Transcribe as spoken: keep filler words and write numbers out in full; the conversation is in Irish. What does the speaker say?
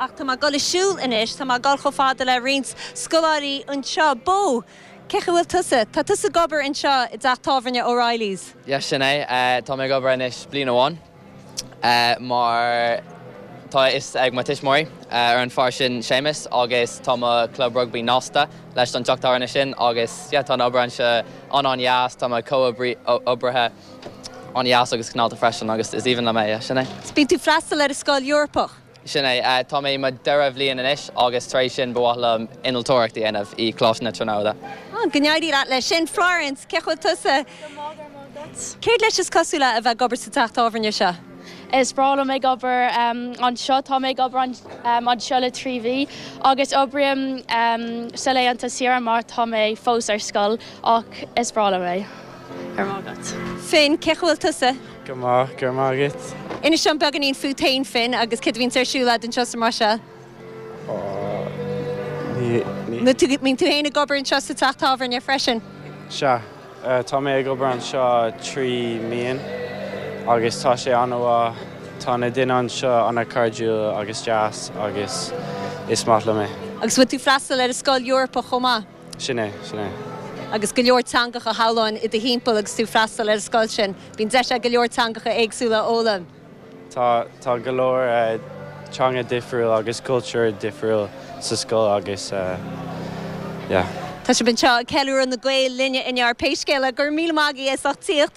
Ach tá mé ag dul ag siúl anois, tá mé ag dul chomh fada le roinnt scoláirí anseo. Bó, cé bhfuil tusa? Tá tusa ag obair anseo i dteach tábhairne O'Reilly's. Yeah, sin é uh, tá mé ag obair anois bliain amháin uh, mar tá is ag mo tuismitheoirí uh, ar an fear sin Séamus agus tá mo club rugby nasctha leis an teach tábhairne sin agus yeah, tá obair anseo an-an-deas tá mo chomhoibrithe an-deas agus cineálta freisin agus is aoibhinn liom é sin é. Bíonn tú freastal ar an scoil Eorpach. Sin é uh, tá mé mo dara bhliain anois agus tar éis sin ba mhaith liom innealtóireacht a dhéanamh i gColáiste na Tríonóide. Go n-éirí leat leis sin Florence cé bhfuil tusa Céard leis is cosúil a bheith ag obair sa teach tábhairne seo. Is breá liom ag obair um, anseo tá mé ag obair um, anseo le trí mhí agus oibrím um, sa laethanta saoire mar tá mé fós ar scoil ach is breá liom é ar mágat. Finn cé bhfuil tusa? Go maith gur mágad. Inis dom beagáinín fút féin Finn agus cad a bhíonn ar siúl anseo sa mar seo. Bíonn tú féin ag obair anseo sa teach tábhairne freisin. Sea, tá mé ag obair anseo trí mí agus tá sé an-mhaith tá na daoine anseo an-chairdiúil agus deas agus is maith liom é. Agus bhfuil tú freastal ar an scoil Eorpach chomh maith. Sin é sin é. Agus go leor teangacha shamhlóinn i do thimpeall agus tú freastal ar an scoil sin, Bíonn deis go leor teangacha éagsúla a fhoghlaim. Tá tá go leor uh, teanga difriúil agus cultúr difriúil sa scoil agus uh, yeah. Tá sibh anseo ag ceiliúradh na Gael Linne inniu pé scéal é gur míle maith as ucht tíocht